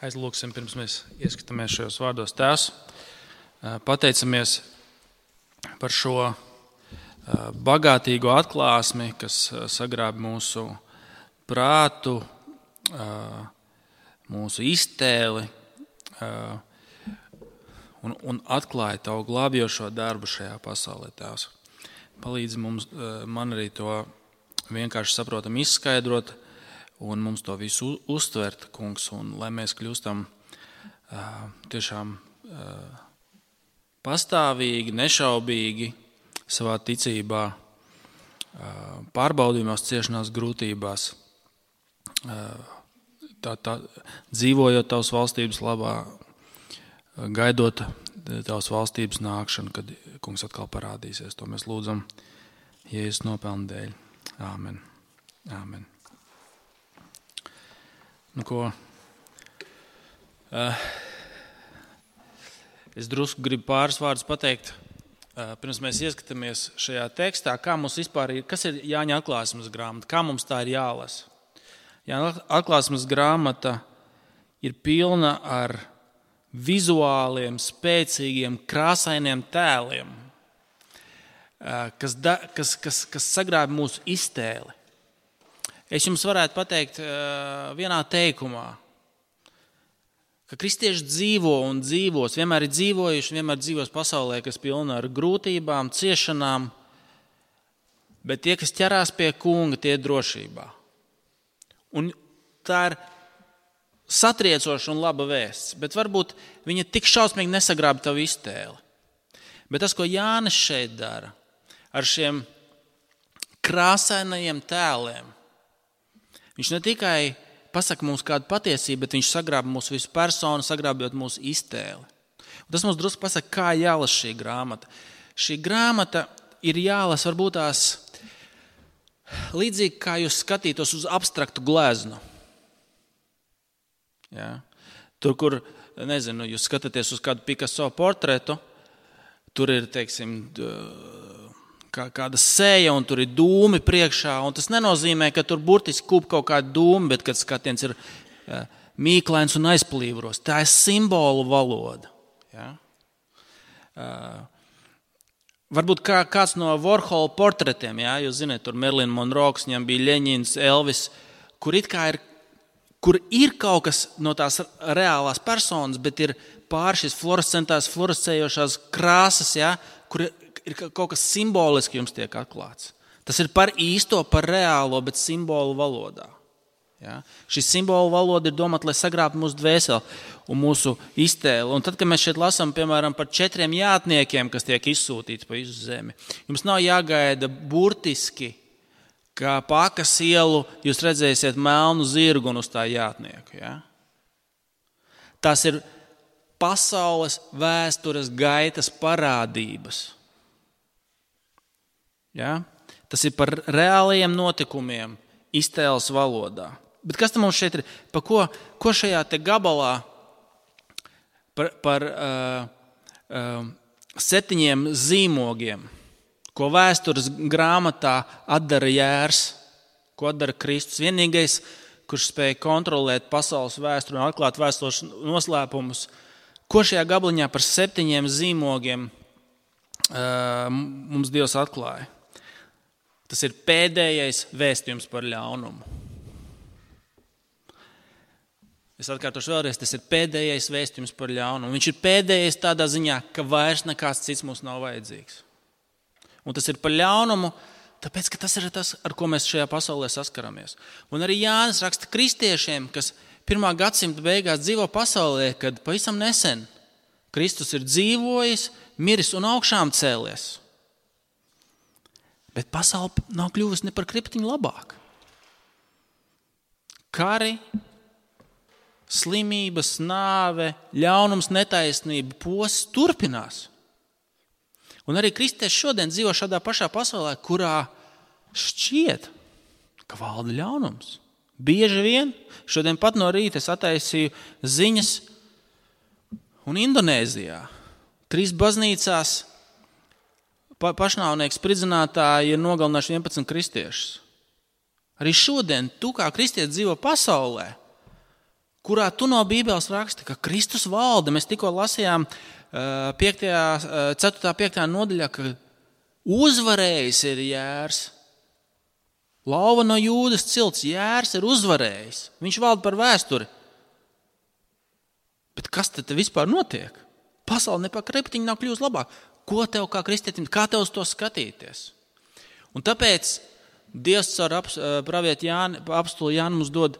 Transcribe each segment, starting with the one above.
Aizlūksim, pirms mēs ieskatāmies šajos vārdos. Tēvs, pateicamies par šo bagātīgo atklāsmi, kas sagrāb mūsu prātu, mūsu iztēli un atklāja Tavu glābjošo darbu šajā pasaulē, Tēvs. Palīdzi man arī to vienkārši saprotam izskaidrot un mums to visu uztvert, kungs, un lai mēs kļūstam tiešām pastāvīgi, nešaubīgi savā ticībā, pārbaudījumos, ciešanās, grūtībās, dzīvojot Tavas valstības labā, gaidot Tavas valstības nākšanu, kad kungs atkal parādīsies. To mēs lūdzam Jēzus nopelnu dēļ. Āmen. Āmen. Nu, ko? Es drusku gribu pāris vārdus pateikt, pirms mēs ieskatāmies šajā tekstā, kā mums vispār ir, kas ir Jāņa atklāsmes grāmata, kā mums tā ir jālasa. Jāņa atklāsmes grāmata ir pilna ar vizuāliem, spēcīgiem, krāsainiem tēliem, kas sagrāb mūsu iztēli. Es jums varētu pateikt vienā teikumā, ka kristieši dzīvo un dzīvos, vienmēr ir dzīvojuši, vienmēr dzīvos pasaulē, kas pilna ar grūtībām, ciešanām, bet tie, kas ķerās pie kunga, tie ir drošībā. Un tā ir satriecoša un laba vēsts, bet varbūt viņa tik šausmīgi nesagrāb tavu iztēli. Bet tas, ko Jānis šeit dara, ar šiem krāsainajiem tēliem, viņš ne tikai pasaka mums kādu patiesību, bet viņš sagrāb mūsu visu personu, sagrābjot mūsu iztēli. Un tas mums drusku pasaka, kā jālas šī grāmata. Šī grāmata ir jālas varbūt tās līdzīgi, kā jūs skatītos uz abstraktu gleznu. Ja? Tur, kur, nezinu, jūs skatāties uz kādu Picasso portretu, tur ir, teiksim, kāda sēja un tur ir dūmi priekšā, un tas nenozīmē, ka tur burtiski kūp kaut kāda dūma, bet kad skatiens ir mīklains un aizplīvros. Tā ir simbolu valoda. Ja? Varbūt kāds no Warhol portretiem, ja? Jūs zināt, tur Marilyn Monroe, viņam bija Ļeņins, Elvis, kur ir kaut kas no tās reālās personas, bet ir pār šīs fluorescējošās krāsas, ja? Kur ir kaut kas simboliski jums tiek atklāts. Tas ir par īsto, par reālo, bet simbolu valodā. Ja? Šī simbolu valoda ir domāta, lai sagrābtu mūsu dvēseli un mūsu iztēli. Un tad, kad mēs šeit lasām, piemēram, par 4 jātniekiem, kas tiek izsūtīti pa visu zemi, jums nav jāgaida burtiski, kā pa Akas ielu jūs redzēsiet melnu zirgu un uz tā jātnieku. Ja? Tās ir pasaules vēstures gaitas parādības. Ja? Tas ir par reālajiem notikumiem iztēles valodā. Bet kas tam mums šeit ir? Ko šajā te gabalā par 7 zīmogiem, ko vēstures grāmatā atdara Jērs, ko atdara Kristus? Vienīgais, kurš spēja kontrolēt pasaules vēsturi un atklāt vēstures noslēpumus, ko šajā gabaliņā par 7 zīmogiem mums Dievs atklāja? Tas ir pēdējais vēstījums par ļaunumu. Es atkārtošu vēlreiz, tas ir pēdējais vēstījums par ļaunumu. Viņš ir pēdējais tādā ziņā, ka vairs nekāds cits mums nav vajadzīgs. Un tas ir par ļaunumu, tāpēc, ka tas ir tas, ar ko mēs šajā pasaulē saskaramies. Un arī Jānis raksta kristiešiem, kas 1. gadsimta beigās dzīvo pasaulē, kad pavisam nesen Kristus ir dzīvojis, miris un augšām cēlies. Bet pasaule nav kļuvusi ne par kriptiņu labāk. Kari, slimības, nāve, ļaunums, netaisnība, posts turpinās. Un arī kristieši šodien dzīvo šādā pašā pasaulē, kurā šķiet, ka valda ļaunums. Bieži vien, šodien pat no rīta es attaisīju ziņas un Indonēzijā. 3 baznīcās pašnāvnieki spridzinātāji ir nogalinājuši 11 kristiešus. Arī šodien tu kā kristietis dzīvo pasaulē, kurā tu no Bībeles raksti, ka Kristus valda. Mēs tikko lasījām 4.5. nodaļā, ka uzvarējis ir Jērs. Lauva no Jūdas cilts, Jērs ir uzvarējis. Viņš valda par vēsturi. Bet kas tad vispār notiek? Pasaule ne pa kreptiņu nav kļūst labāk. Ko tev kā kristietim, kā tev uz to skatīties? Un tāpēc Dievs caur pravietu apostuli Jānu mums dod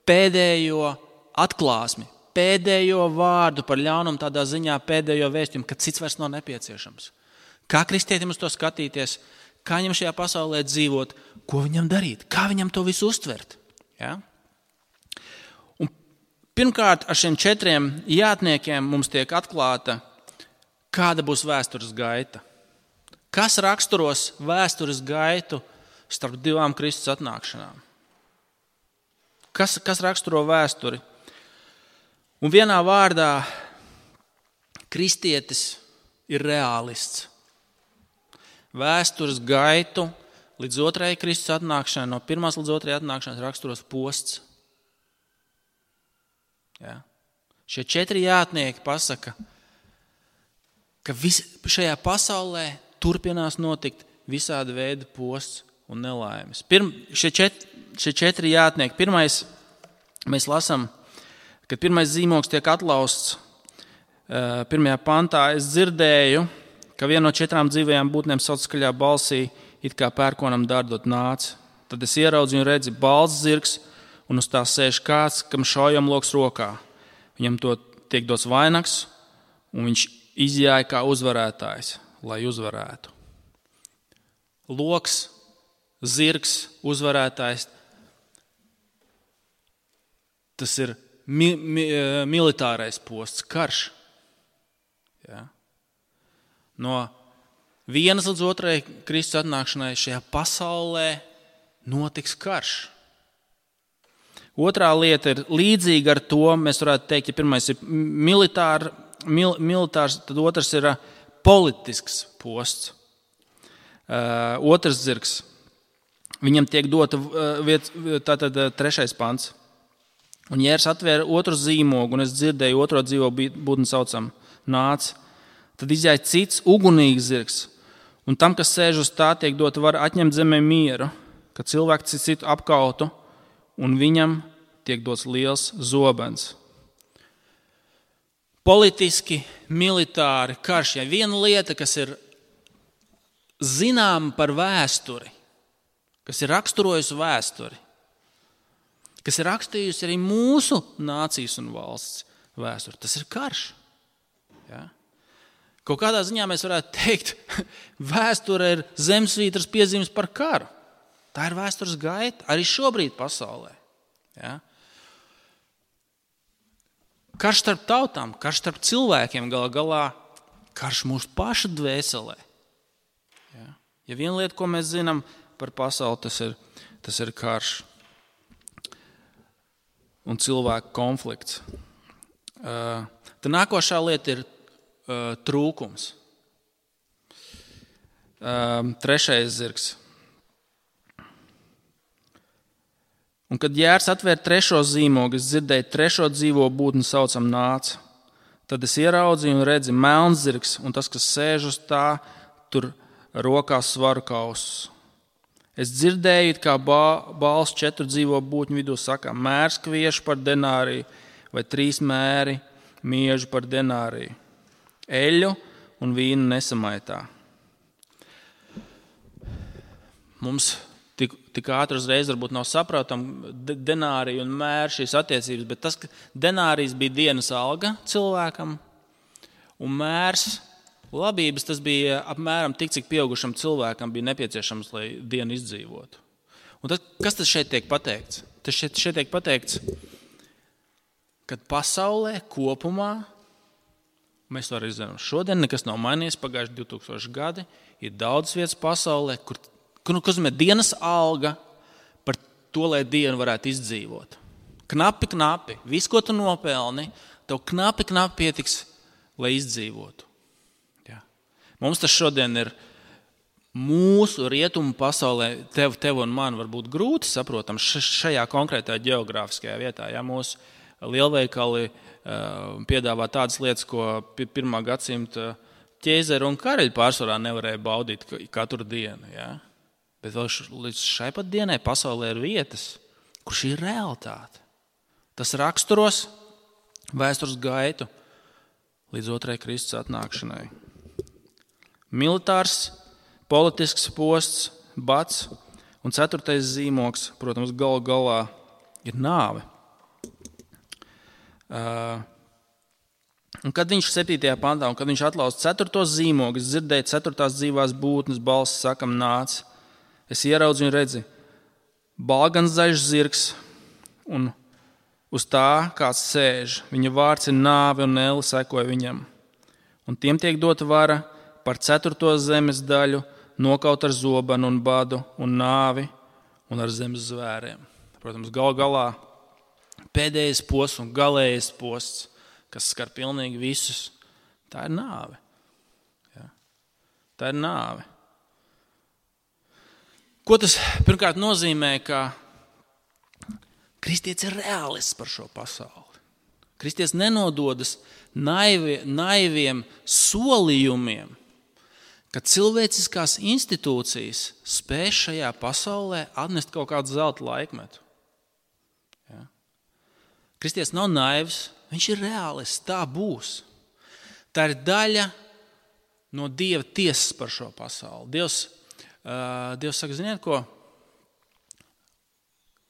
pēdējo atklāsmi, pēdējo vārdu par ļaunumu, tādā ziņā pēdējo vēstījumu, ka cits vairs nav nepieciešams. Kā kristietim uz to skatīties, kā viņam šajā pasaulē dzīvot, ko viņam darīt, kā viņam to visu uztvert. Ja? Un pirmkārt, ar šiem 4 jātniekiem mums tiek atklāta, kāda būs vēstures gaita. Kas raksturos vēstures gaitu starp 2 Kristus atnākšanām? Kas raksturo vēsturi? Un vienā vārdā kristietis ir reālists. Vēstures gaitu līdz 2. Kristus atnākšanai, no 1. līdz 2. atnākšanas raksturos posts. Ja? Šie 4 jātnieki pasaka, ka šajā pasaulē turpinās notikt visādi veidi posts un nelaimes. Šie 4 jātnieki. Pirmais, mēs lasām, kad pirmais zīmogs tiek atlausts 1. pantā, es dzirdēju, ka viena no 4 dzīvajām būtnēm sauc skaļā balsī, it kā pērkonam dārdot nāc. Tad es ieraudzīju un redzu balts zirgs, un uz tā sēž kāds, kam šaujam loks rokā. Viņam to tiek dots vainags, un viņš izjāja kā uzvarētājs, lai uzvarētu. Loks, zirgs, uzvarētājs, tas ir militārais posts, karš. Ja? No 1. līdz 2. Kristus atnākšanai šajā pasaulē notiks karš. Otrā lieta ir līdzīga ar to, mēs varētu teikt, ja pirmais ir militārs, tad otrs ir politisks posts. Otrs zirgs. Viņam tiek dota tātad 3. pants. Un Jērs atvēra otru zīmogu, un es dzirdēju otro dzīvo būtni saucam nāc. Tad izjāja cits ugunīgs zirgs, un tam, kas sēž uz tā, tiek dota var atņemt zemē mieru, ka cilvēks citu apkautu, un viņam tiek dots liels zobens. Politiski, militāri karš. Ja viena lieta, kas ir zināma par vēsturi, kas ir raksturojusi vēsturi, kas ir rakstījusi arī mūsu nācijas un valsts vēsturi, tas ir karš. Ja? Kaut kādā ziņā mēs varētu teikt, vēsture ir zemesvītras piezīmes par karu. Tā ir vēstures gaita arī šobrīd pasaulē. Ja? Karš starp tautām, karš starp cilvēkiem, galā karš mūsu pašu dvēselē. Ja? Ja viena lieta, ko mēs zinām par pasauli, tas ir karš un cilvēku konflikts. Tad nākošā lieta ir trūkums. 3. zirgs. Un kad Jērs atvēra 3. zīmogu, es dzirdēju 3. dzīvo būtni saucam nāc. Tad es ieraudzīju un redzu melns zirgs, un tas, kas sēž uz tā, tur rokās svaru kausus. Es dzirdēju, kā balss 4 dzīvo būtņu vidū saka, mērs kviešu par denāriju, vai 3 mēri miežu par denāriju. Eļu un vīnu nesamaitā. Mums tik ātri uzreiz varbūt nav saprotama denārija un mēra šīs attiecības, bet tas, ka denārijs bija dienas alga cilvēkam, un mērs labības, tas bija apmēram tik, cik pieaugušam cilvēkam bija nepieciešams, lai dienu izdzīvotu. Un tad, kas tas šeit tiek pateikts? Tas šeit tiek pateikts, kad pasaulē kopumā, mēs to arī zinām, šodien nekas nav mainījies, pagājuši 2000 gadi, ir daudz vietas pasaulē, kur nozīmē dienas alga par to, lai dienu varētu izdzīvot. Knapi, viss, ko tu nopelni, tev knapi pietiks, lai izdzīvotu. Ja. Mums tas šodien ir mūsu rietumu pasaulē, tev un man var būt grūti saprotams šajā konkrētajā geogrāfiskajā vietā. Ja, mūsu lielveikali piedāvā tādas lietas, ko 1. gadsimta ķēzeri un karaļi pārsvarā nevarēja baudīt katru dienu. Ja? Bet vēl līdz šai pat dienai pasaulē ir vietas, kur šī ir realitāte. Tas raksturos vēstures gaitu līdz 2. Kristus atnākšanai. Militārs, politisks posts, bats un 4. zīmogs, protams, galu galā ir nāve. Un kad viņš 7. pantā, un kad viņš atlauz 4. zīmogu, es dzirdēju 4. dzīvās būtnes balss sakam nāc. Es ieraudzu un redzi, balgans zaļš zirgs, un uz tā kāds sēž. Viņa vārds ir nāve un ēli sekoja viņam. Un tiem tiek dota vara par 4. zemes daļu nokaut ar zobenu un badu un nāvi un ar zemes zvēriem. Protams, galā pēdējais posts un galējais posts, kas skar pilnīgi visus, tā ir nāve. Ja? Tā ir nāve. Ko tas pirmkārt nozīmē, ka kristietis ir reālists par šo pasauli. Kristietis nenododas naiviem solījumiem, ka cilvēciskās institūcijas spēj šajā pasaulē atnest kaut kādu zelta laikmetu. Ja? Kristietis nav naivs, viņš ir reālists, tā būs. Tā ir daļa no Dieva tiesas par šo pasauli. Dievs saka, ziniet ko?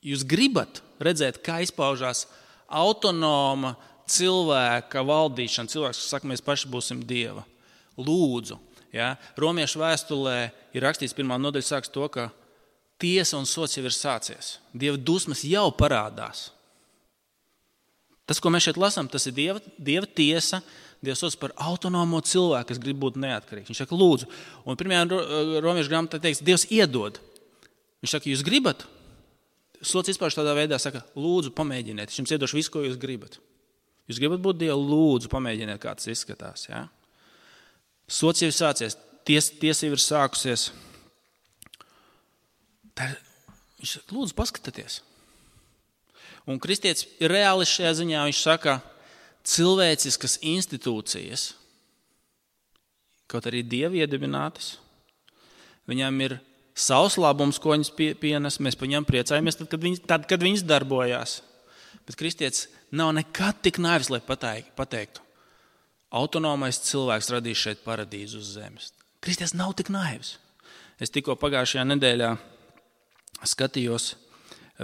Jūs gribat redzēt, kā izpaužās autonoma cilvēka valdīšana. Cilvēks, kas saka, mēs paši būsim Dieva. Lūdzu. Ja? Romiešu vēstulē ir rakstīts 1. nodaļa sāks to, ka tiesa un sots jau ir sācies. Dieva dusmas jau parādās. Tas, ko mēs šeit lasām, tas ir Dieva tiesa, Dieva sots par autonomo cilvēku, kas grib būt neatkarīgs. Viņš saka, lūdzu. Un 1. romiešu grāmatā teiks, Dievs iedod. Viņš saka, jūs gribat? Sots izpauž tādā veidā, saka, lūdzu, pamēģiniet. Es jums iedošu visu, ko jūs gribat. Jūs gribat būt Dievu, lūdzu, pamēģiniet, kā tas izskatās. Ja? Sots jau ir sācies, tiesa jau ir sākusies. Viņš saka, lūdzu, paskatieties. Un kristietis ir reāli šajā ziņā, viņš saka, cilvēciskas institūcijas, kaut arī Dievi iedibinātas, viņām ir savs labums, ko viņas pienes, mēs par viņām priecājamies, tad, kad viņas darbojās. Bet kristietis nav nekad tik naivs, lai pateiktu, autonomais cilvēks radīs šeit paradīzu uz zemes. Kristietis nav tik naivs. Es tikko pagājušajā nedēļā skatījos,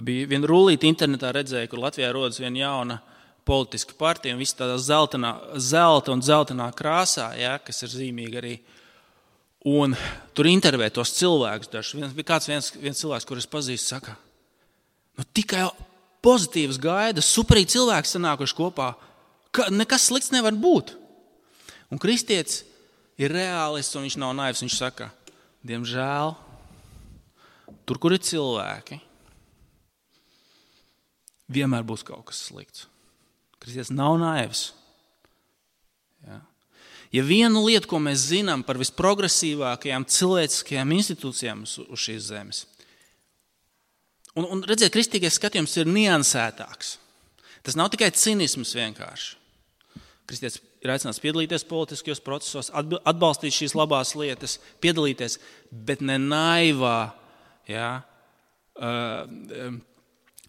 bija viena rullīte internetā redzēja, kur Latvijā rodas viena jauna politiska partija, un viss tādā zelta un dzeltenā krāsā, ja, kas ir zīmīgi arī. Un tur intervē tos cilvēkus dažus. Viens cilvēks, kurus pazīstu, saka, tikai pozitīvas gaidas, superīgi cilvēki sanākuši kopā, nekas slikts nevar būt. Un kristietis ir reālists, un viņš nav naivs, viņš saka, diemžēl, tur, kur ir cilvēki, vienmēr būs kaut kas slikts. Kristietis nav naivs. Ja? Ja viena lieta, ko mēs zinām par visprogresīvākajām cilvēciskajām institūcijām uz šīs zemes, un redziet, kristīgais skatījums ir niansētāks. Tas nav tikai cinisms vienkārši. Kristietis ir aicināts piedalīties politiskajos procesos, atbalstīt šīs labās lietas, piedalīties, bet ne naivā, ja,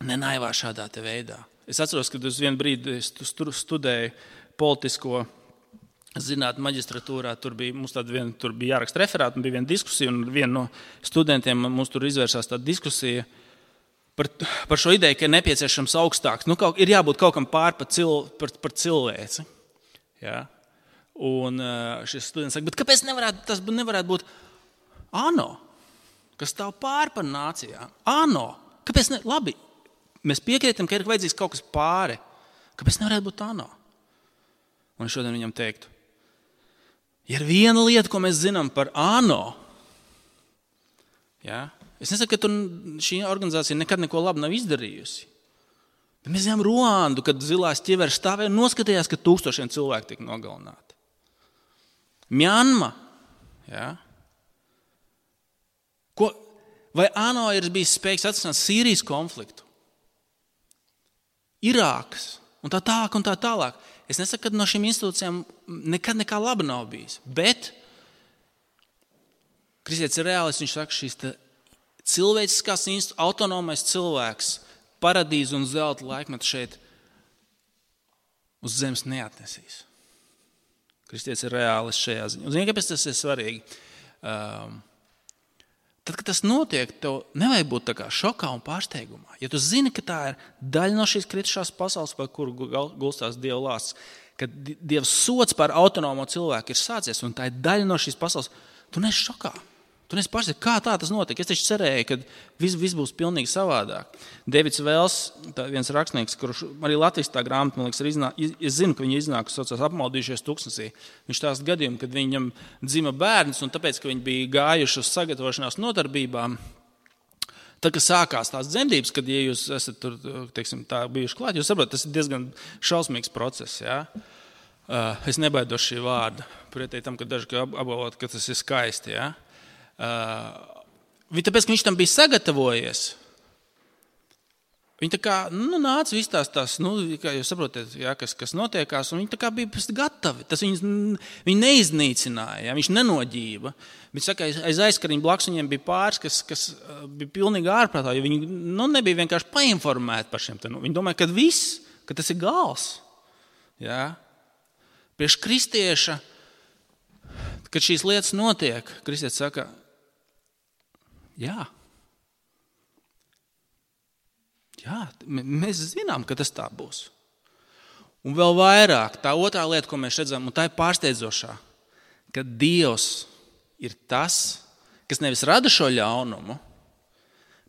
ne naivā šādā te veidā. Es atceros, kad uz vienu brīdi studēju politisko zinātņu maģistratūrā, tur bija jāraksta referāti, un bija viena diskusija, un viena no studentiem mums tur izvērsās tāda diskusija par šo ideju, ka ir nepieciešams augstāks. Ir jābūt kaut kam pār par cilvēci. Ja? Un šis students saka, bet kāpēc tas nevarētu būt ANO, kas stāv pār par nācijām? ANO, kāpēc ne? Labi. Mēs piekrītam, ka ir vajadzīgs kaut kas pāri. Kāpēc nevarētu būt ANO? Un šodien viņam teiktu, ja ir viena lieta, ko mēs zinām par ANO, ja? Es nesaku, ka šī organizācija nekad neko labu nav izdarījusi. Bet mēs zinām Ruandu, kad zilās ķiveres stāvēja un noskatījās, ka 1000 cilvēku tika nogalināti. Mjanma. Ja? Vai ANO ir bijis spējīgs atrisināt Sīrijas konfliktu? Irākas, un tā tālāk, un tā tālāk. Es nesaku, ka no šīm institūcijām nekad nekā laba nav bijis, bet kristietis ir reālis, viņš saka, šīs cilvēciskās autonomais cilvēks, paradīze un zelta laikmetu šeit uz zemes neatnesīs. Kristietis ir reālis šajā ziņā. Un zini, kāpēc tas ir svarīgi? Tad, kad tas notiek, tev nevajag būt tā kā šokā un pārsteigumā. Ja tu zini, ka tā ir daļa no šīs kritušās pasaules, par kuru gulstās Dieva lāsts, kad Dieva sods par autonomo cilvēku ir sācies, un tā ir daļa no šīs pasaules, tu neesi šokā. Tu neesi pārsteigts, kā tā tas notika. Es taču cerēju, ka viss būs pilnīgi savādāk. Davids Vēls, viens rakstnieks, kurš arī Latvijas tā grāmata, man liekas, es zinu, ka viņi iznāk, kas saucās Apmaldījušies tuksnesī. Viņš stāsta gadījumu, kad viņam dzima bērns, un tāpēc, ka viņi bija gājuši uz sagatavošanās nodarbībām, tad, kad sākās tās dzemdības, kad, ja jūs esat tur, teiksim, tā bijuši klāt, jūs saprotat, tas ir diezgan šausmīgs process, jā. Es nebaidos šī vārda, pretēji tam, ka daži apgalvot, ka tas ir skaisti, jā. Tāpēc, ka viņš tam bija sagatavojies, viņi tā kā nāca viss tās, kā jūs saprotat, jā, kas notiekās, un viņi tā kā bija gatavi. Tas viņi neiznīcināja, jā, viņš nenoģība. Bet saka, aiz aizkariņa blakus viņiem bija pāris, kas bija pilnīgi ārprātā, jo viņi nebija vienkārši painformēti par šiem. Viņi domāja, ka tas ir gals. Jā. Priekš kristieša, kad šīs lietas notiek, kristietis saka, jā, mēs zinām, ka tas tā būs. Un vēl vairāk, tā otrā lieta, ko mēs redzam, un tā ir pārsteidzošā, ka Dievs ir tas, kas nevis rada šo ļaunumu,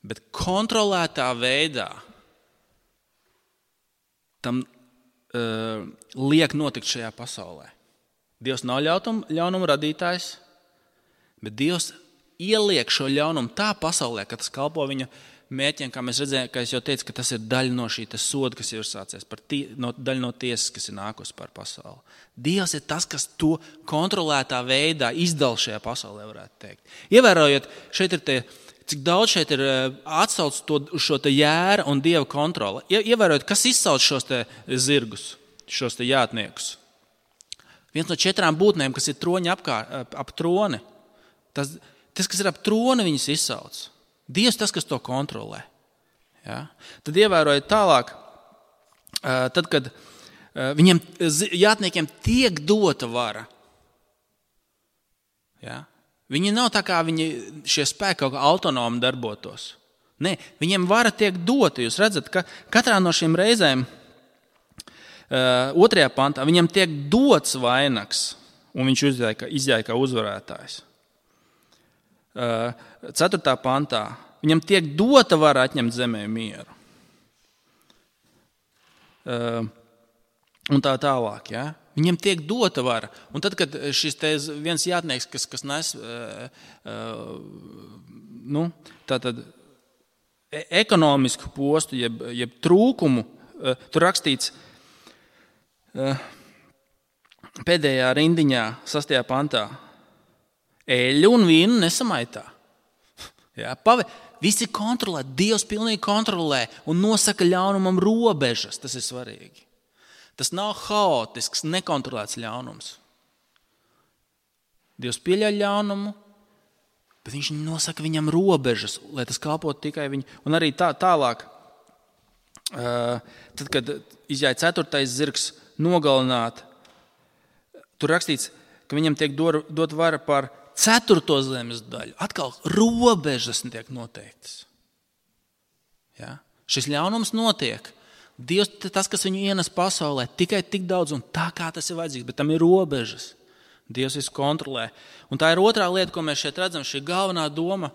bet kontrolētā veidā tam liek notikt šajā pasaulē. Dievs nav ļaunuma radītājs, bet Dievs ieliek šo ļaunumu tā pasaulē, ka tas kalpo viņa mērķiem, kā mēs redzējām, kā es jau teicu, ka tas ir daļa no šī soda, kas jau ir sācies, daļa no tiesas, kas ir nākusi par pasauli. Dievs ir tas, kas to kontrolētā veidā izdala šajā pasaulē, varētu teikt. Ievērojot, šeit ir cik daudz šeit ir atsauc uz šo jēra un Dieva kontroli. Ievērojot, kas izsauc šos zirgus, šos jātniekus. Viens no 4 būtnēm, kas ir troņi ap troni, tas, kas ir ap troni, viņas izsauc. Dievs tas, kas to kontrolē. Ja? Tad ievērojot tālāk, tad, kad viņiem jātniekiem tiek dota vara. Ja? Viņi nav tā kā šie spēki kaut kā autonomi darbotos. Nē, viņiem vara tiek dota. Jūs redzat, ka katrā no šīm reizēm 2. pantā viņam tiek dots vainags, un viņš izjāja kā uzvarētājs. 4. pantā viņam tiek dota vara atņemt zemē mieru. Un tā tālāk. Ja? Viņam tiek dota vara. Un tad, kad šis viens jātnieks, kas nes tātad ekonomisku postu, jeb trūkumu, tur rakstīts pēdējā rindiņā, 6. pantā, eļļu un vīnu nesamaitā. Ja, visi kontrolē, Dievs pilnīgi kontrolē un nosaka ļaunumam robežas. Tas ir svarīgi. Tas nav haotisks, nekontrolēts ļaunums. Dievs pieļauj ļaunumu, bet viņš nosaka viņam robežas, lai tas kalpotu tikai viņu. Un arī tālāk, tad, kad izjāja 4. zirgs nogalināt, tur rakstīts, ka viņam tiek dot vara par 4. zemes daļu. Atkal robežas tiek noteiktas. Ja? Šis ļaunums notiek. Dievs tas, kas viņu ienes pasaulē, tikai tik daudz un tā, kā tas ir vajadzīgs, bet tam ir robežas. Dievs visu kontrolē. Un tā ir otrā lieta, ko mēs šeit redzam, šī galvenā doma.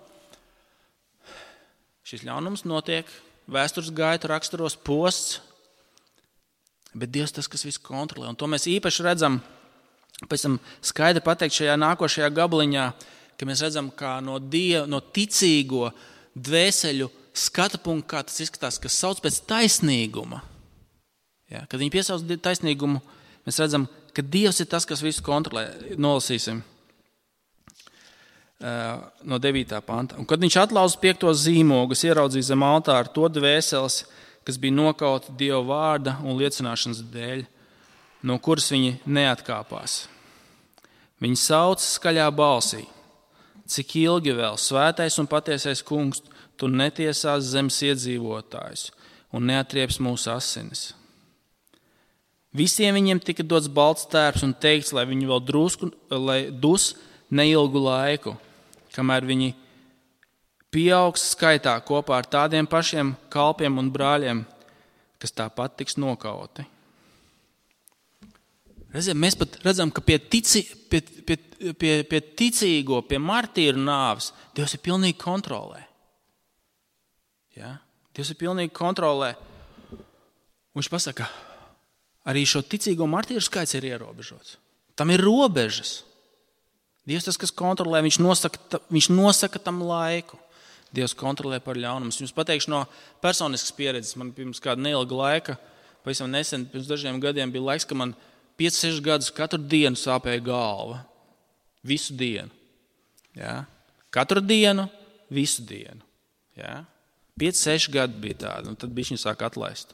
Šis ļaunums notiek, vēstures gaita raksturos posts, bet Dievs tas, kas visu kontrolē. Un to mēs īpaši redzam, pēc tam skaidri pateikt šajā nākošajā gabaliņā, ka mēs redzam, kā no ticīgo dvēseļu skata punktu, kā tas izskatās, kas sauc pēc taisnīguma. Ja, kad viņi piesauc taisnīgumu, mēs redzam, ka Dievs ir tas, kas visu kontrolē. Nolasīsim no 9. panta. Un kad viņš atlauza 5. zīmogu, ieraudzīja zem altāra to dvēseles, kas bija nokauti Dieva vārda un liecināšanas dēļ, no kuras viņi neatkāpās. Viņi sauca skaļā balsī: cik ilgi vēl, svētais un patiesais kungs, tu netiesās zemes iedzīvotājus un neatrieps mūsu asinis. Visiem viņiem tika dots balts tērps un teikts, lai viņi vēl drusku, lai dus neilgu laiku, kamēr viņi pieaugs skaitā kopā ar tādiem pašiem kalpiem un brāļiem, kas tāpat tiks nokauti. Mēs pat redzam, ka pie ticīgo, pie martīru nāves Dievs ir pilnīgi kontrolē. Ja? Dievs ir pilnīgi kontrolē. Un viņš pasaka, arī šo ticīgo martīru skaits ir ierobežots. Tam ir robežas. Dievs tas, kas kontrolē, viņš nosaka tam laiku. Dievs kontrolē par ļaunumu. Es jums pateikšu no personiskas pieredzes. Man pirms kāda neilga laika, pavisam nesen, pirms dažiem gadiem bija laiks, ka man 5-6 gadus katru dienu sāpēja galva. Visu dienu. Ja? Katru dienu, visu dienu. Ja? 5-6 gadi bija tādi, un tad bišķiņi sāk atlaist.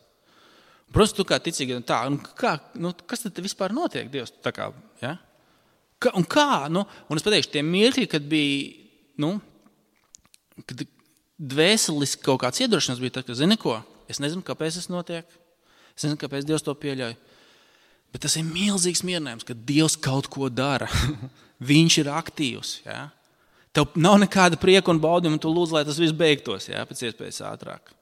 Protams, tu kā ticīgi, kas tad vispār notiek, Dievs? Tā kā, ja? Un kā? Un es pateikšu, tie mirkļi, kad bija, kad dvēseliski kaut kāds iedrošinās bija, tad, ka zini ko, es nezinu, kāpēc tas notiek, es nezinu, kāpēc Dievs to pieļauj, bet tas ir milzīgs mierinājums, ka Dievs kaut ko dara. Viņš ir aktīvs. Ja? Tev nav nekāda prieka un baudījuma, un tu lūdz, lai tas viss beigtos, ja? Pēc iespējas ātrāk.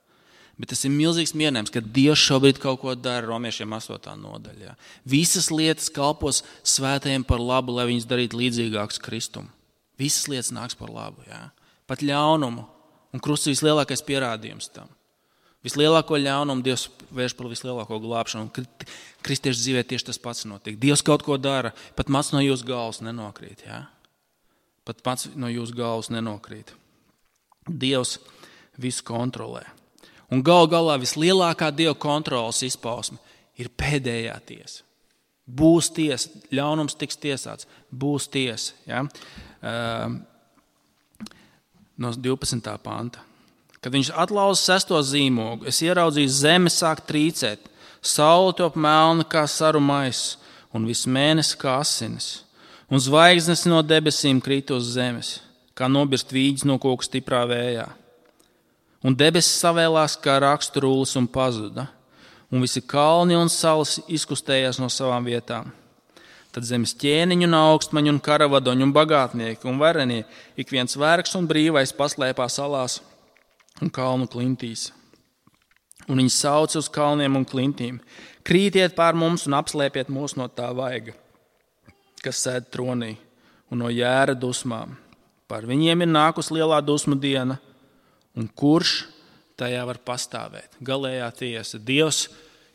Bet tas ir milzīgs mierinājums, ka Dievs šobrīd kaut ko dara, Romiešiem 8. nodaļa. Ja? Visas lietas kalpos svētajiem par labu, lai viņus darītu līdzīgākus Kristum. Visas lietas nāks par labu. Ja? Pat ļaunumu. Un krusts ir vislielākais pierādījums tam. Vislielāko ļaunumu Dievs vērš par vislielāko glābšanu. Un kristiešu dzīvē tieši tas pats notiek. Dievs kaut ko dara, pat mats no jūsu galvas nenokrīt. Ja? Pat mats no jūsu galvas nenokrīt. Dievs visu kontrolē. Un galā vislielākā Dieva kontrolas izpausme ir pēdējā tiesa. Būs tiesa, ļaunums tiks tiesāts, būs tiesa. Ja? No 12. panta. Kad viņš atlauza 6. zīmogu, es ieraudzīju zemi sāk trīcēt, saule top melna kā saru maiss, un viss mēnesis kā asinis, un zvaigznes no debesīm krīt uz zemes, kā nobirst vīģis no koka stiprā vējā. Un debesis savēlās kā rakstu rullis un pazuda, un visi kalni un salas izkustējās no savām vietām. Tad zemes ķēniņu un augstmaņu un karavadoņu un bagātnieki un varenie, ik viens vergs un brīvais paslēpā salās un kalnu klintīs. Un viņi sauca uz kalniem un klintīm: krītiet pār mums un apslēpiet mūs no tā vaiga, kas sēd tronī, un no jēra dusmām. Par viņiem ir nākus lielā dusmu diena, un kurš tajā var pastāvēt? Galējā tiesa. Dievs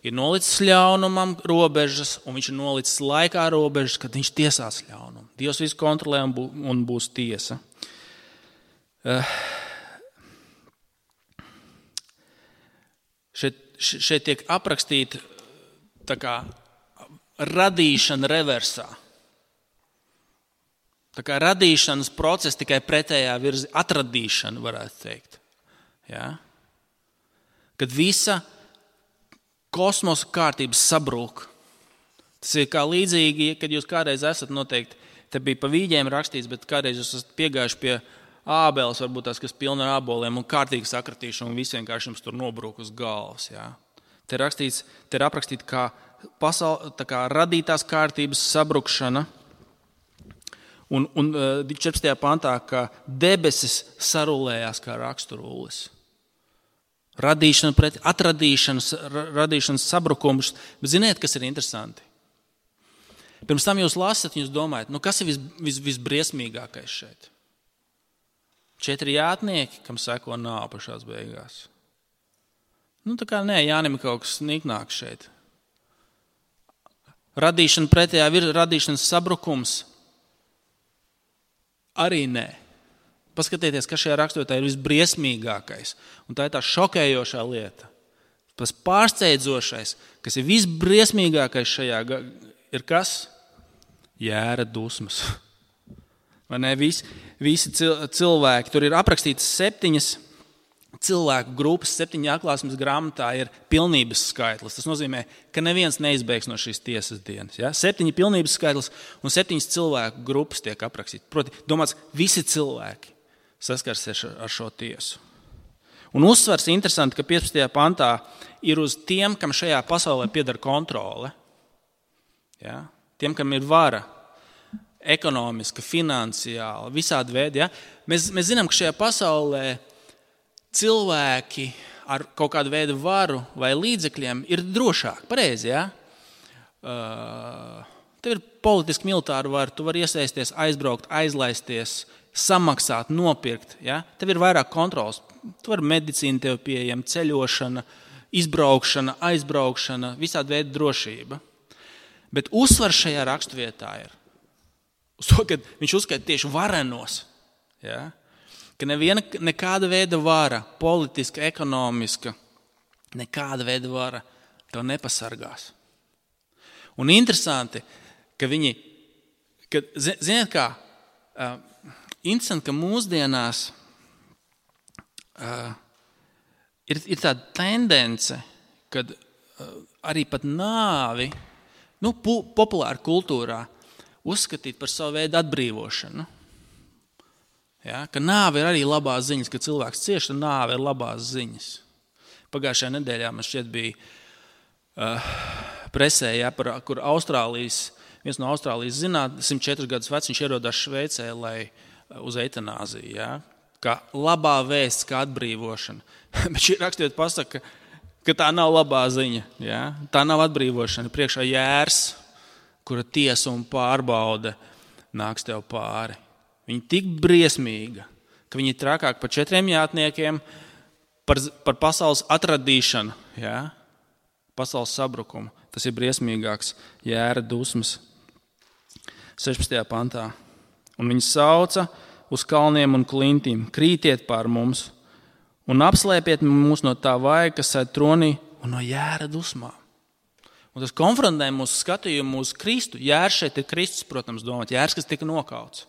ir nolicis ļaunumam robežas, un viņš ir nolicis laikā robežas, kad viņš tiesās ļaunumu. Dievs visu kontrolē un būs tiesa. Šeit tiek aprakstīta tā kā radīšana reversā. Tā kā radīšanas process tikai pretējā virzienā, atradīšana varētu teikt. Ja? Kad visa kosmosa kārtības sabrūk. Tas ir kā līdzīgi, kad jūs kādreiz esat noteikti, te bija pa vīģiem rakstīts, bet kādreiz jūs esat piegājuši pie ābeles, varbūt tās, kas pilna ar āboliem un kārtīgi sakratīšana, un visiem kā jums tur nobrūk uz galvas. Ja? Te ir aprakstīts kā radītās kārtības sabrukšana, un 14. pantā, ka debesis sarulējās kā raksturullis. Radīšana pret radīšanas sabrukums. Bet ziniet, kas ir interesanti? Pirms tam jūs lasat, jūs domājat, kas ir visbriesmīgākais šeit? 4 jātnieki, kam seko nāve pašās beigās. Tā kā nē, Jānim ir kaut kas niknāks šeit. Radīšana pretējā radīšanas sabrukums arī nē. Paskatieties, kas šajā raksturvietā ir visbriesmīgākais. Un tā ir tā šokējošā lieta. Tas pārsteidzošais, kas ir visbriesmīgākais šajā, ir kas? Jēra dusmas. Vai ne? Visi cilvēki. Tur ir aprakstītas 7 cilvēku grupas 7 atklāsmes grāmatā ir pilnības skaitlis. Tas nozīmē, ka neviens neizbēgs no šīs tiesas dienas. Ja? 7 pilnības skaitlis un 7 cilvēku grupas tiek aprakstīti. Proti, domāts, visi cilvēki saskarsies ar šo tiesu. Un uzsvars interesanti, ka 15. pantā ir uz tiem, kam šajā pasaulē pieder kontrole. Ja? Tiem, kam ir vara, ekonomiska, finansiāla, visādi veidi. Ja? Mēs zinām, ka šajā pasaulē cilvēki ar kaut kādu veidu varu vai līdzekļiem ir drošāki. Pareizi, ja? Tev ir politiski militāra vara, tu vari iesaisties, aizbraukt, aizlaisties, samaksāt, nopirkt. Ja? Tev ir vairāk kontrols. Tu vari medicīna tev pieejama, ceļošana, izbraukšana, aizbraukšana, visādi veidi drošība. Bet uzsvars šajā raksturvietā ir uz to, ka viņš uzskaita tieši varenos. Ja? Ka nekāda veida vara, politiska, ekonomiska, nekāda veida vara to nepasargās. Un interesanti, ka viņi, ziniet kā, interesanti, ka mūsdienās ir tāda tendence, kad arī pat nāvi, populāra kultūrā uzskatīt par savu veidu atbrīvošanu. Ja, ka nāve ir arī labās ziņas, ka cilvēks cieši, tad nāve ir labās ziņas. Pagājušajā nedēļā man šķiet bija presē, ja, kur viens no Austrālijas zinātniekiem, 104 gadus vecs, viņš ierodās Šveicē, uz eitanāziju. Ja, kā labā vēsts, kā atbrīvošana. Bet šī rakstījot pasaka, ka tā nav labā ziņa. Ja? Tā nav atbrīvošana. Priekšā jērs, kura tiesa un pārbaude nāks tev pāri. Viņa tik briesmīga, ka viņa ir trakāk par 4 jātniekiem, par pasaules atradīšanu, ja? Pasaules sabrukumu. Tas ir briesmīgāks jēra dusmas. 16. pantā. Un viņi sauca uz kalniem un klintīm, krītiet pār mums un apslēpiet mūs no tā vaiga, kas sēd tronī un no jēra dusmām. Un tas konfrontē mūsu skatījumu uz Kristu. Jērs šeit ir Kristus, protams, domāt. Jērs, kas tika nokauts.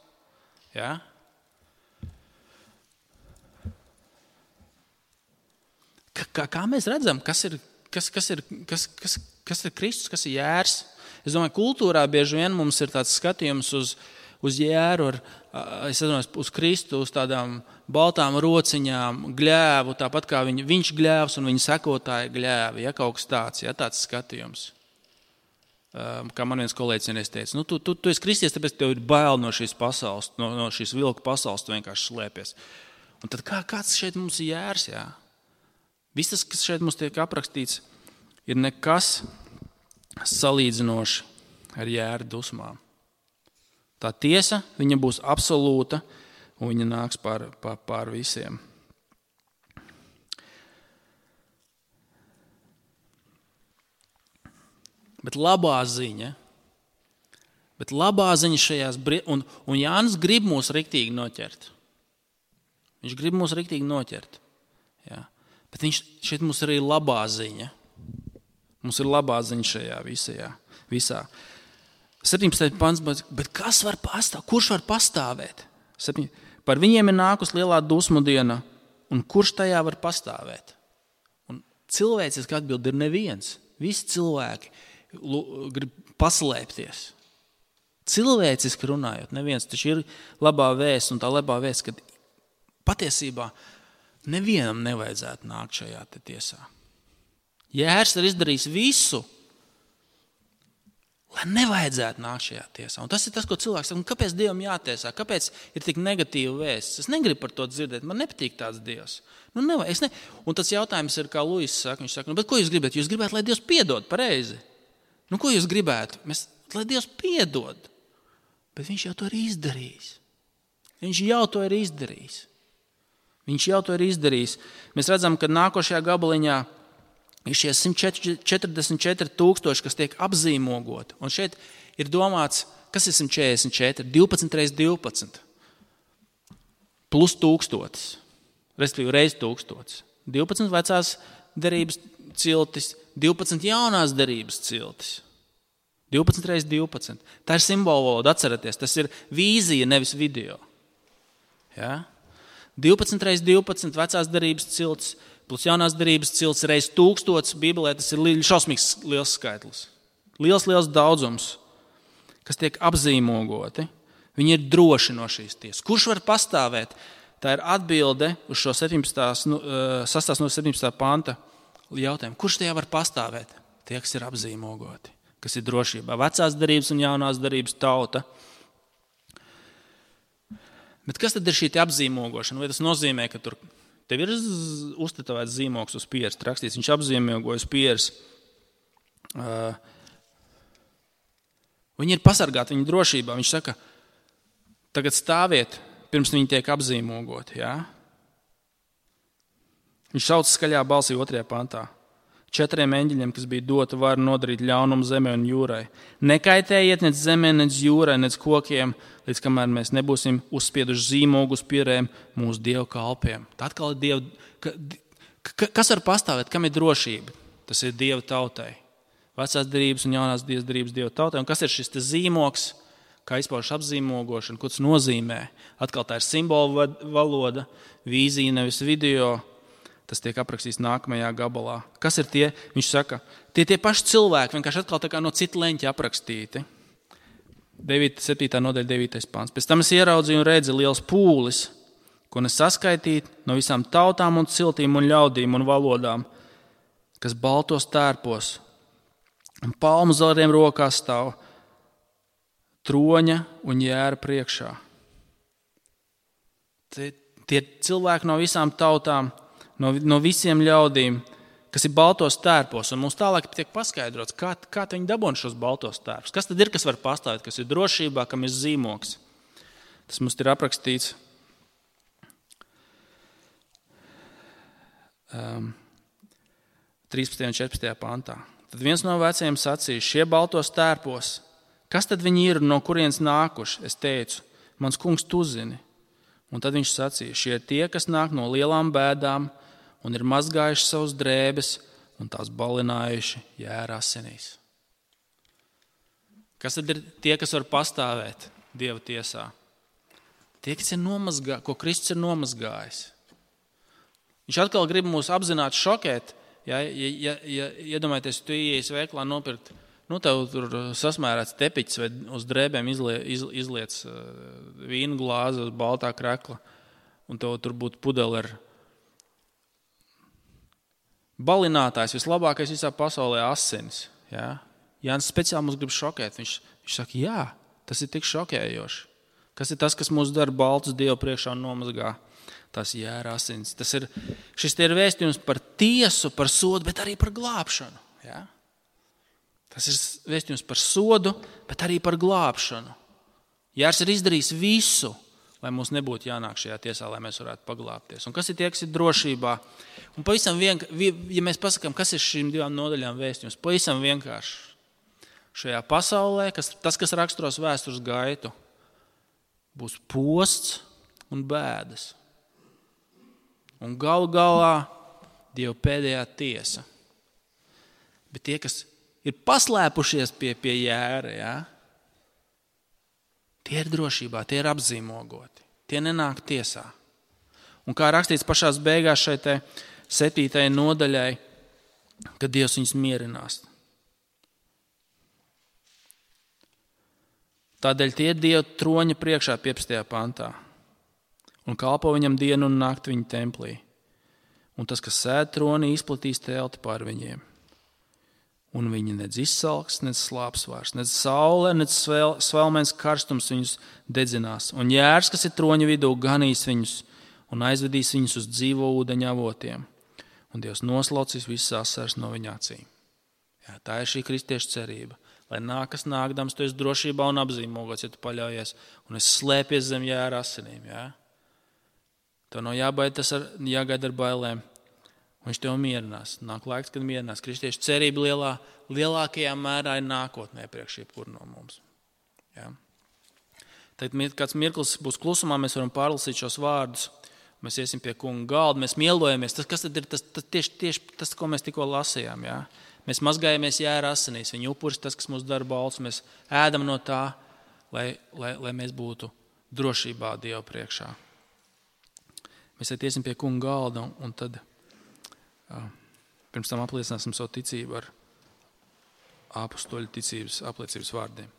Ja? Kā mēs redzam, kas ir Kristus, kas ir jērs? Es domāju, kultūrā bieži vien mums ir tāds skatījums uz jēru, uz Kristu, uz tādām baltām rociņām, gļēvu, tāpat kā viņš gļēvs un viņa sekotāji gļēvi, ja kaut kas tāds, ja tāds skatījums. Kā man viens kolēģis teica, tu esi kristietis, tāpēc tev ir bail no šīs pasaules, no šīs vilku pasaules, tu vienkārši slēpies. Un tad kāds šeit mums ir jērs, jā? Viss tas, kas šeit mums tiek aprakstīts, ir nekas salīdzinoši ar jēra dusmām. Tā tiesa, viņa būs absolūta, un viņa nāks pār visiem. Bet labā ziņa šajās un Jānis grib mūs riktīgi noķert. Viņš grib mūs riktīgi noķert. Jā. Bet šeit mums ir arī labā ziņa. Mums ir labā ziņa šajā visā. 17. pants, bet kas var pastāvēt? Kurš var pastāvēt? Par viņiem ir nākus lielā dusmu diena, un kurš tajā var pastāvēt? Un cilvēciski atbild ir neviens. Visi cilvēki grib paslēpties. Cilvēciski runājot, neviens, taču ir labā vēsts, un tā labā vēsts, ka patiesībā nevienam nevajadzētu nākt šajā tiesā. Jērs ir izdarījis visu, lai nevajadzētu nākt šajā tiesā. Un tas ir tas, ko cilvēks saka, kāpēc Dievam jātiesā, kāpēc ir tik negatīva vēsts. Es negribu par to dzirdēt, man nepatīk tāds Dievs. Un tas jautājums ir, kā Luis saka, viņš saka, bet ko jūs gribat? Jūs gribētu, lai Dievs piedod, pareizi. Ko jūs gribētu? Lai Dievs piedod. Bet viņš jau to ir izdarījis. Viņš jau to ir izdarījis. Mēs redzam, ka nākošajā gabaliņā ir šie 144 000, kas tiek apzīmogoti. Un šeit ir domāts, kas ir 144? 12 reiz 12. Plus 1000. Respektīvi reiz 1000. 12 vecās derības ciltis, 12 jaunās derības ciltis. 12 reiz 12. Tā ir simbolu valoda, atcerieties. Tas ir vīzija, nevis video. Ja? 12 reiz 12 vecās derības cilts, plus jaunās derības cilts reiz 1000. Bībelē tas ir šausmīgs liels skaitlis. Liels daudzums, kas tiek apzīmogoti. Viņi ir droši no šīs tiesas. Kurš var pastāvēt? Tā ir atbilde uz šo 6. no 17. panta jautājumu. Kurš tajā var pastāvēt? Tie, kas ir apzīmogoti, kas ir drošībā. Vecās derības un jaunās derības tauta. Bet kas tad ir šī apzīmogošana? Vai tas nozīmē, ka tev ir uztetovēts zīmogs uz pieres, rakstīts, viņš apzīmogoja uz pieres. Viņi ir pasargāti viņa drošībā. Viņš saka, tagad stāviet, pirms viņi tiek apzīmogoti. Ja? Viņš sauc skaļā balsī 2. pantā. 4 eņģeļiem, kas bija dota vara nodarīt ļaunumu zemē un jūrai. Nekaitējiet nec zemē, nec jūrai, nec kokiem, līdz kamēr mēs nebūsim uzspieduši zīmogu uz pierēm mūsu Dievu kalpiem. Tā atkal ir Dieva. Kas var pastāvēt? Kam ir drošība? Tas ir Dieva tautai. Vecās derības un jaunās derības Dieva tautai. Un kas ir šis zīmogs, kā izpaužas apzīmogošana, ko tas nozīmē? Atkal tā ir simbolu valoda, vīzija, nevis video. Tas tiek aprakstīts nākamajā gabalā. Kas ir tie? Viņš saka, tie paši cilvēki, vienkārši atkal tā kā no cita leņķa aprakstīti. 7. nodaļa 9. pants. Pēc tam es ieraudzīju un redzu liels pūlis, ko nesaskaitīt no visām tautām un ciltīm un ļaudīm un valodām, kas baltos tērpos un palmu zariem rokās stāv troņa un jēra priekšā. Tie cilvēki no visām tautām, no visiem ļaudīm, kas ir baltos tērpos, un mums tālāk tiek paskaidrots, kā viņi dabūna šos baltos tērpus. Kas tad ir, kas var pastāvēt, kas ir drošībā, kam ir zīmogs? Tas mums ir aprakstīts 13. un 14. pantā. Tad viens no vecajiem sacīja, šie baltos tērpos, kas tad viņi ir, no kurienes nākuši? Es teicu, mans kungs, tu zini. Un tad viņš sacīja, šie ir tie, kas nāk no lielām bēdām, un ir mazgājuši savus drēbes un tās balinājuši jēra asinīs. Kas tad ir tie, kas var pastāvēt Dieva tiesā? Tie, kas ir nomazgājuši, ko Kristus ir nomazgājis. Viņš atkal grib mūs apzināti šokēt. Ja iedomājieties, tu ieies veiklā nopirkt, tev tur sasmērēts tepiķis vai uz drēbēm izliec vīnu glāzi uz baltā krekla, un tev tur būtu pudeli ar balinātājs, vislabākais visā pasaulē asinis. Ja? Jānis speciāli mums grib šokēt. Viņš saka, jā, tas ir tik šokējoši. Kas ir tas, kas mūs dara baltus Dievu priekšā un nomazgā? Tas jēra asinis. Šis ir vēstījums par tiesu, par sodu, bet arī par glābšanu. Ja? Tas ir vēstījums par sodu, bet arī par glābšanu. Jērs ir izdarījis visu, lai mums nebūtu jānāk šajā tiesā, lai mēs varētu paglābties. Un kas ir tie, kas ir drošībā? Un pavisam ja mēs pasakām, kas ir šīm 2 nodaļām vēstījums, pavisam vienkārši. Šajā pasaulē, tas, kas raksturos vēstures gaitu, būs posts un bēdas. Un galu galā Dieva pēdējā tiesa. Bet tie, kas ir paslēpušies pie jēra, ja? Tie ir drošībā, tie ir apzīmogoti. Tie nenāk tiesā. Un kā rakstīts pašās beigās šai 7. nodaļai, kad Dievs viņus mierinās. Tādēļ tie ir Dieva troņa priekšā 15. pantā. Un kalpo viņam dienu un nakti viņa templī. Un tas, kas sēd tronī, izplatīs telti pār viņiem. Un viņi nedz izsalks, nedz slāps vairs, nedz saule, nedz svelmens karstums viņus dedzinās. Un jērs, kas ir troņa vidū, ganīs viņus un aizvedīs viņus uz dzīvo ūdeņa avotiem. Un Dievs noslaucīs visas asaras no viņa acīm. Jā, tā ir šī kristiešu cerība. Lai nākas nākdams, tu esi drošībā un apzīmogots, ja tu paļaujies, un es slēpies zem jēra asinīm. Jā? Tev nav jāgaida ar bailēm. Viņš tev mierinās. Nāk laiks, kad mierinās. Kristiešu cerība lielākajā mērā ir nākotnē priekš jebkuru no mums. Ja? Tad kāds mirklis būs klusumā, mēs varam pārlasīt šos vārdus. Mēs iesim pie kunga galda, mēs mielojamies. Kas tad ir tieši tas, ko mēs tikko lasījām? Ja? Mēs mazgājamies jēra asinīs. Viņa upuris tas, kas mūs dara balts. Mēs ēdam no tā, lai mēs būtu drošībā Dieva priekšā. Mēs iesim pie kunga galda un tad pirms tam apliecināsim savu ticību ar apostoļu ticības apliecības vārdiem.